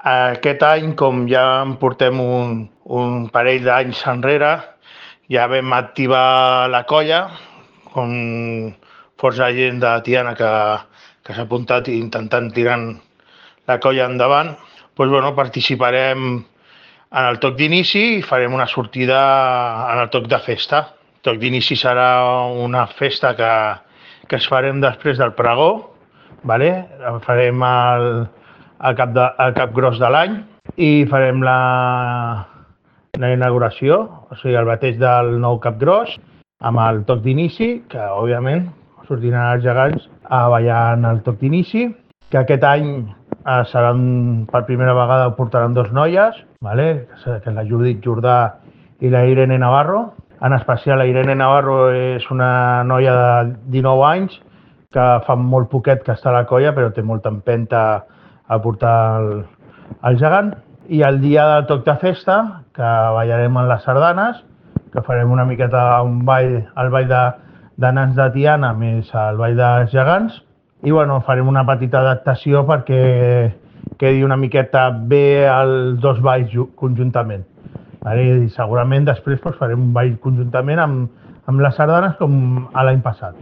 Aquest any, com ja en portem un parell d'anys enrere, ja vam activar la colla, com força gent de Tiana que s'ha apuntat i intentant tirant la colla endavant. Participarem en el toc d'inici i farem una sortida en el toc de festa. El toc d'inici serà una festa que es farem després del pregó, vale? Farem el cap gros de l'any i farem la inauguració, o sigui, el bateig del nou cap gros, amb el toc d'inici, que òbviament sortiran els gegants a ballar en el toc d'inici, que aquest any seran, per primera vegada ho portaran dos noies, vale? Que la Judit Jordà i la Irene Navarro. En especial la Irene Navarro és una noia de 19 anys que fa molt poquet que està a la colla, però té molta empenta a portar el gegant. I el dia del toc de festa, que ballarem en les sardanes, que farem una miqueta un ball, el ball de nans de Tiana més el ball dels gegants, i farem una petita adaptació perquè quedi una miqueta bé els dos balls conjuntament. I segurament després farem un ball conjuntament amb les sardanes com l'any passat.